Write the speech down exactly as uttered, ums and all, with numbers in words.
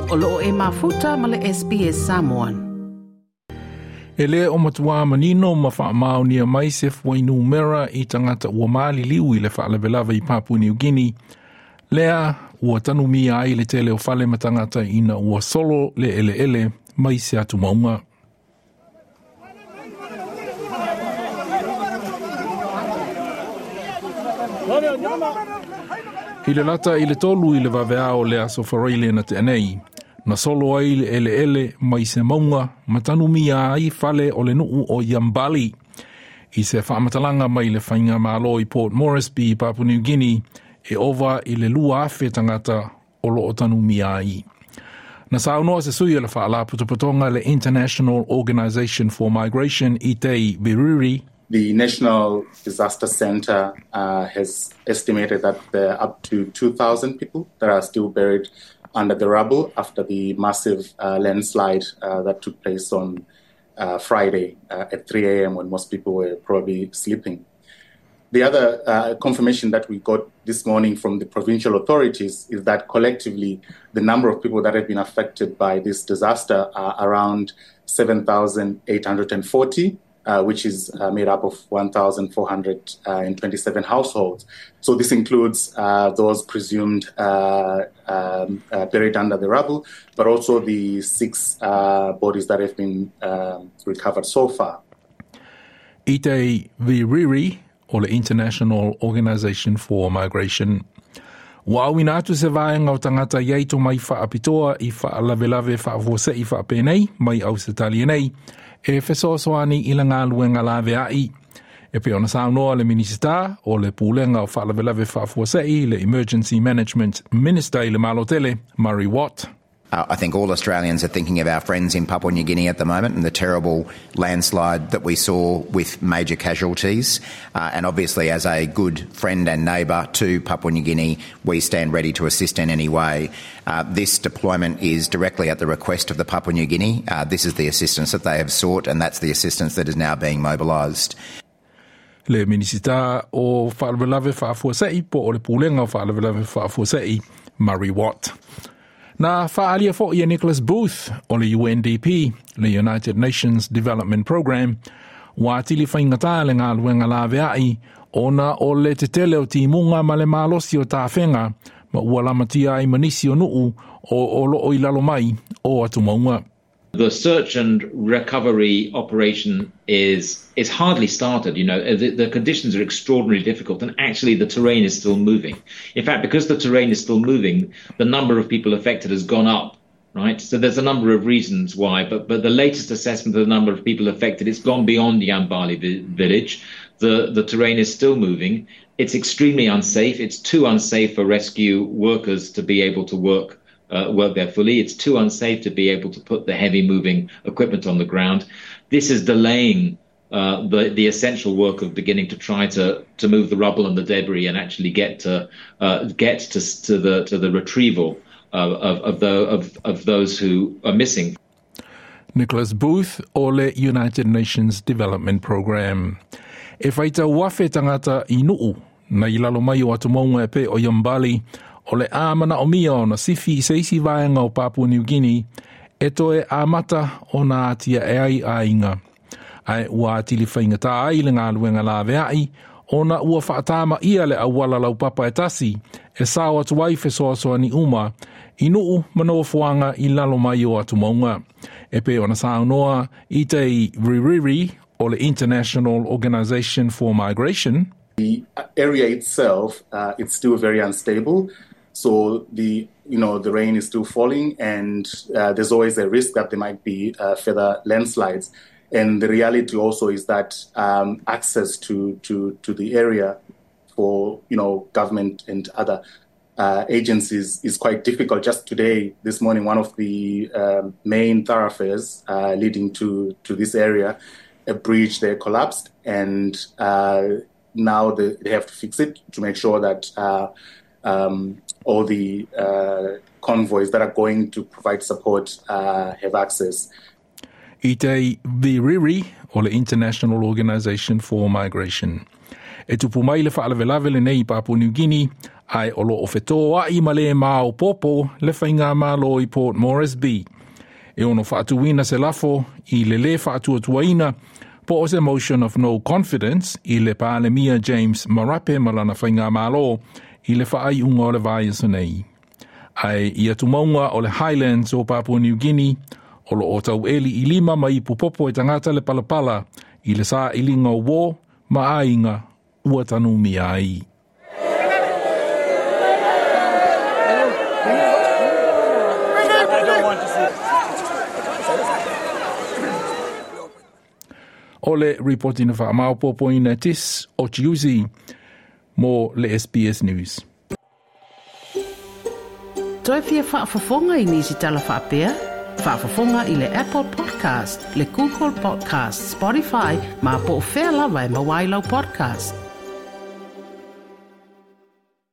O loo e mafuta ma le S B S Samoan. E le o matua manino ma wha mai se fuainumera i tangata ua maliliu i le faalavelave i Papua New Guinea. Lea ua tanumia ai le tele o fale ma tangata ina ua solo le eleele mai se atu maunga. I le lata i le tolu i le vaveao le aso Faraile na te anei, na solo ai le eleele mai se maunga ma tanumia ai fale o le nuu o Yambali. I se whaamatalanga mai le whainga malo i Port Moresby i Papua New Guinea, e ova i le lua afe tangata o lo o tanumia ai. Na saunoa se sui o le whaalapotopotoga le International Organization for Migration, Itai Viriri. The National Disaster Center uh, has estimated that there are up to two thousand people that are still buried under the rubble after the massive uh, landslide uh, that took place on uh, Friday uh, at three a m when most people were probably sleeping. The other uh, confirmation that we got this morning from the provincial authorities is that collectively the number of people that have been affected by this disaster are around seven thousand eight hundred forty, uh, which is uh, made up of one thousand four hundred twenty-seven households. So this includes uh, those presumed uh, um, uh, buried under the rubble, but also the six uh, bodies that have been um, recovered so far. Itai Viriri o le International Organization for Migration. Ua auina atu se vaenga o tangata i aito mai whaapitoa i whaalavelave whaafuasei whaapenei mai Ausetalia nei e fesoasoani i le galuega laveai. E pei ona saunoa le Minisita o le Pulega o Faalavelave Faafuasei, le Emergency Management Minister i le Malotele, Murray Watt. Uh, I think all Australians are thinking of our friends in Papua New Guinea at the moment and the terrible landslide that we saw with major casualties. Uh, and obviously, as a good friend and neighbour to Papua New Guinea, we stand ready to assist in any way. Uh, this deployment is directly at the request of the Papua New Guinea. Uh, this is the assistance that they have sought, and that's the assistance that is now being mobilised. Le Minisita o Faalavelave Faafuasei po o le Pulega o Faalavelave Faafuasei, Murray Watt. Na whaalia fo ia Nicholas Booth o le U N D P, le United Nations Development Programme, ua atili whaingata le galuega laveai ona o le tetele o timuga ma le malosi o tafega ma ua lamatia ai ma nisi o nuu o, o loo i lalo mai o atu. The search and recovery operation is is hardly started. You know, the, the conditions are extraordinarily difficult, and actually the terrain is still moving. In fact, because the terrain is still moving, the number of people affected has gone up. Right, so there's a number of reasons why, but but the latest assessment of the number of people affected, it's gone beyond Yambali vi- village. The the terrain is still moving. It's extremely unsafe. It's too unsafe for rescue workers to be able to work uh, work there fully. It's too unsafe to be able to put the heavy moving equipment on the ground. This is delaying uh, the the essential work of beginning to try to to move the rubble and the debris and actually get to uh, get to to the to the retrieval of of, of the of, of those who are missing. Nicholas Booth o le United Nations Development Programme. E faitau afe tangata i nuu na i lalo mai o atu maunga e pe o Yambali o le a manaomia ona sifi i se isi vaenga o Papua New Guinea e toe amata ona atia e ai aiga. Ae ua atili whaingata ai le galuega laveai ona ua whaatama ia le auala laupapa e tasi e sao atu ai fesoasoani uma i nuu ma nofoaga i lalo mai o atu maunga. E pei ona saunoa Itai Viriri o le International Organization for Migration. The area itself, uh, it's still very unstable. So the you know the rain is still falling, and uh, there's always a risk that there might be uh, further landslides. And the reality also is that um, access to, to to the area for you know government and other uh, agencies is quite difficult. Just today, this morning, one of the um, main thoroughfares uh, leading to to this area, a bridge there collapsed, and uh, now they, they have to fix it to make sure that uh, um, all the uh, convoys that are going to provide support uh, have access. Itai Viriri o le International Organization for Migration. E tupu mai le faalavelave lenei i Papua New Guinea, Ae o lo o fetoa'i ma le maopoopo le faigamalo i Port Moresby. E ono faatuina se lafo i le lē faatuatuaina po o se motion of no confidence i le Palemia James Marape ma lana faigamalo i le faaiuga o le vaiaso nei. Ae i atumauga o le Highlands o Papua New Guinea, o lo o taueli i lima ma ipu popo e tagata le palapala i le sailiga o uō ma aiga ua tanumia ai. O le ripoti na faamaopoopoina e Tis o Chiusi mo le S B S News. Toe fia faafofoga i nisi tala faapea? Faafofoga i le Apple Podcast, le Google Podcast, Spotify, ma po o fea lava e maua ai lau podcast.